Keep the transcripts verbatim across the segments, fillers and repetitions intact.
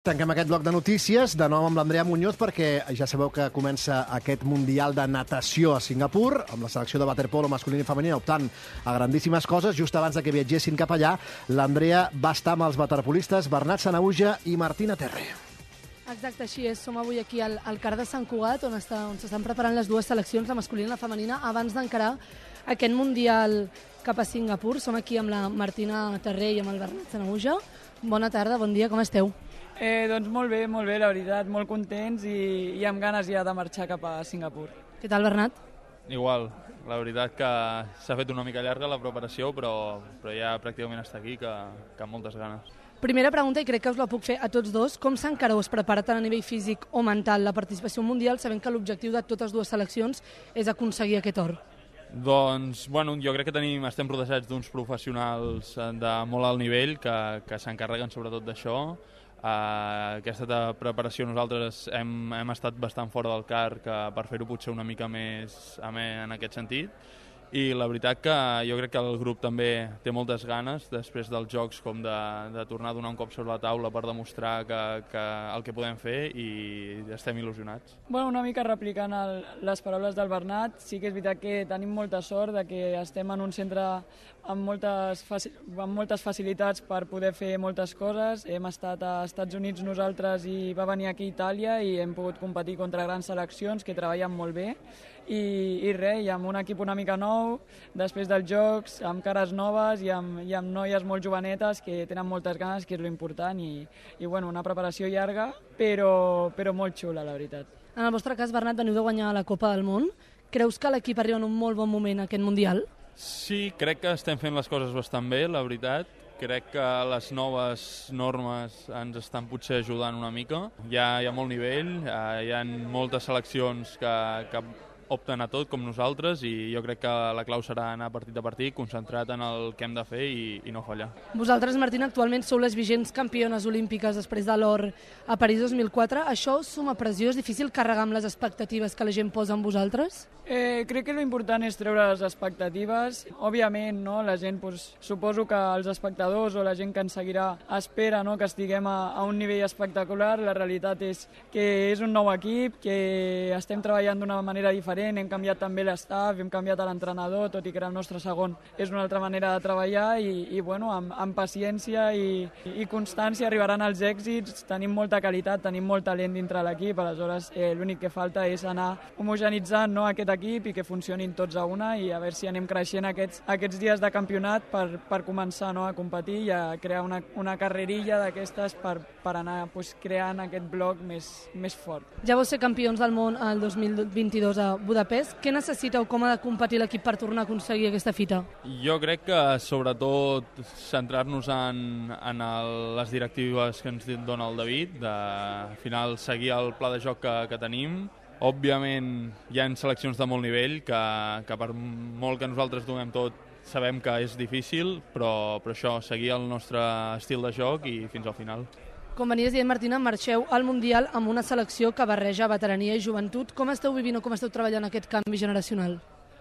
Tanquem aquest bloc de notícies, de nou amb l'Andrea Muñoz, perquè ja sabeu que comença aquest Mundial de Natació a Singapur, amb la selecció de waterpolo masculina i femenina optant a grandíssimes coses. Just abans de que viatgessin cap allà, l'Andrea va estar amb els waterpolistes Bernat Sanahuja i Martina Terre. Exacte, així és. Som avui aquí al, al Car de Sant Cugat, on s'estan preparant les dues seleccions, la masculina i la femenina, abans d'encarar aquest Mundial cap a Singapur. Som aquí amb la Martina Terre i amb el Bernat Sanahuja. Bona tarda, bon dia, com esteu? Eh, doncs molt bé, molt bé, la veritat, molt contents i, i amb ganes ja de marxar cap a Singapur. Què tal, Bernat? Igual, la veritat que s'ha fet una mica llarga la preparació, però, però ja pràcticament està aquí, que, que amb moltes ganes. Primera pregunta, i crec que us la puc fer a tots dos. Com s'encareu, es prepara tant a nivell físic o mental la participació mundial, sabent que l'objectiu de totes dues seleccions és aconseguir aquest or? Doncs, bueno, jo crec que tenim, estem rodejats d'uns professionals de molt alt nivell que, que s'encarreguen sobretot d'això. Uh, aquesta preparació nosaltres hem, hem estat bastant fora del car que per fer-ho potser una mica més amè en aquest sentit, i la veritat que jo crec que el grup també té moltes ganes després dels jocs com de, de tornar a donar un cop sobre la taula per demostrar que, que el que podem fer, i estem il·lusionats. Bueno, una mica replicant el, les paraules del Bernat, sí que és veritat que tenim molta sort de que estem en un centre amb moltes, amb moltes facilitats per poder fer moltes coses. Hem estat a Estats Units nosaltres i va venir aquí a Itàlia i hem pogut competir contra grans seleccions que treballen molt bé. I, i res, i amb un equip una mica nou, després dels jocs, amb cares noves i amb, i amb noies molt jovenetes que tenen moltes ganes, que és l'important, i, i bueno, una preparació llarga, però, però molt xula, la veritat. En el vostre cas, Bernat, veniu de guanyar la Copa del Món. Creus que l'equip arriba en un molt bon moment a aquest Mundial? Sí, crec que estem fent les coses bastant bé, la veritat. Crec que les noves normes ens estan potser ajudant una mica. Hi ha, hi ha molt nivell, hi ha moltes seleccions que, que opten a tot com nosaltres, i jo crec que la clau serà anar partit a partit, concentrat en el que hem de fer i, i no fallar. Vosaltres, Martina, actualment sou les vigents campiones olímpiques després de l'or a París dos mil quatre. Això suma pressió? És difícil carregar amb les expectatives que la gent posa en vosaltres? Eh, crec que l'important és treure les expectatives. Òbviament, no, la gent, pues, suposo que els espectadors o la gent que ens seguirà espera, no, que estiguem a, a un nivell espectacular. La realitat és que és un nou equip, que estem treballant d'una manera diferent, hem canviat també l'estaf, hem canviat l'entrenador, tot i que era el nostre segon. És una altra manera de treballar i, i bueno, amb, amb paciència i, i constància arribaran els èxits. Tenim molta qualitat, tenim molt talent dintre l'equip, aleshores eh, l'únic que falta és anar homogenitzant, no, aquest equip i que funcionin tots a una, i a veure si anem creixent aquests, aquests dies de campionat per, per començar, no, a competir i a crear una, una carrerilla d'aquestes per, per anar, pues, creant aquest bloc més, més fort. Ja vau ser campions del món el dos mil vint-i-dos a Budapest. Què necessiteu, com ha de competir l'equip per tornar a aconseguir aquesta fita? Jo crec que sobretot centrar-nos en, en el, les directives que ens dona el David, de al final seguir el pla de joc que, que tenim. Òbviament hi ha seleccions de molt nivell que, que per molt que nosaltres donem tot sabem que és difícil, però, però això, seguir el nostre estil de joc i fins al final. Com venies dient, Martina, marxeu al Mundial amb una selecció que barreja veterania i joventut. Com esteu vivint o com esteu treballant aquest canvi generacional?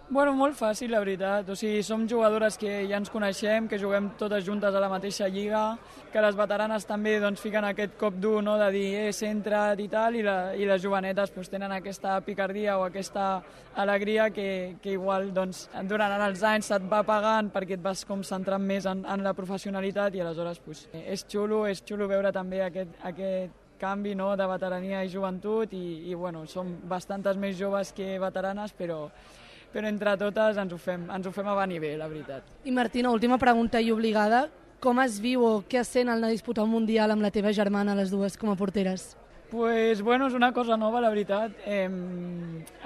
Bueno, molt fàcil, la veritat. O sigui, som jugadores que ja ens coneixem, que juguem totes juntes a la mateixa lliga, que les veteranes també, doncs, fiquen aquest cop dur, no?, de dir, eh, centra't i tal, i, la, i les jovenetes, doncs, tenen aquesta picardia o aquesta alegria que, que igual, doncs, durant els anys se't va pagant perquè et vas com centrant més en, en la professionalitat, i aleshores, doncs, és xulo, és xulo veure també aquest, aquest canvi, no?, de veterania i joventut, i, i bueno, som bastantes més joves que veteranes, però però entre totes ens ho fem, ens ho fem a va nivell, la veritat. I Martina, última pregunta i obligada, com es viu o què es sent al anar a disputar un Mundial amb la teva germana, les dues, com a porteres? Pues, bueno, és una cosa nova, la veritat. Eh,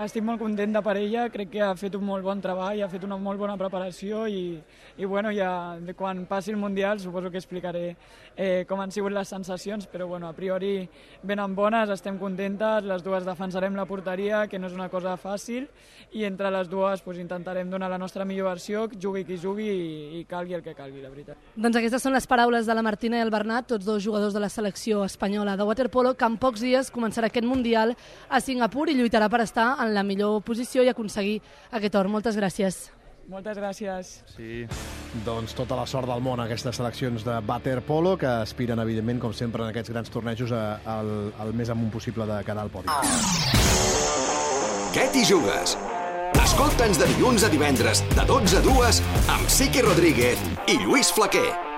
estic molt content per ella, crec que ha fet un molt bon treball, ha fet una molt bona preparació i, i bueno, ja quan passi el Mundial suposo que explicaré eh, com han sigut les sensacions, però bueno, a priori venen bones, estem contentes, les dues defensarem la porteria, que no és una cosa fàcil, i entre les dues pues, intentarem donar la nostra millor versió, jugui qui jugui i, i calgui el que calgui, la veritat. Doncs aquestes són les paraules de la Martina i el Bernat, tots dos jugadors de la selecció espanyola de waterpolo, que en pocs dies començarà aquest Mundial a Singapur i lluitarà per estar en la millor posició i aconseguir aquest or. Moltes gràcies. Moltes gràcies. Sí. Doncs tota la sort del món a aquestes seleccions de waterpolo que aspiren, evidentment, com sempre, en aquests grans tornejos al, al més amunt possible de quedar al podi. Què t'hi jugues? Escolta'ns de dilluns a divendres, de dotze a dues, amb Siqui Rodríguez i Lluís Flaquer.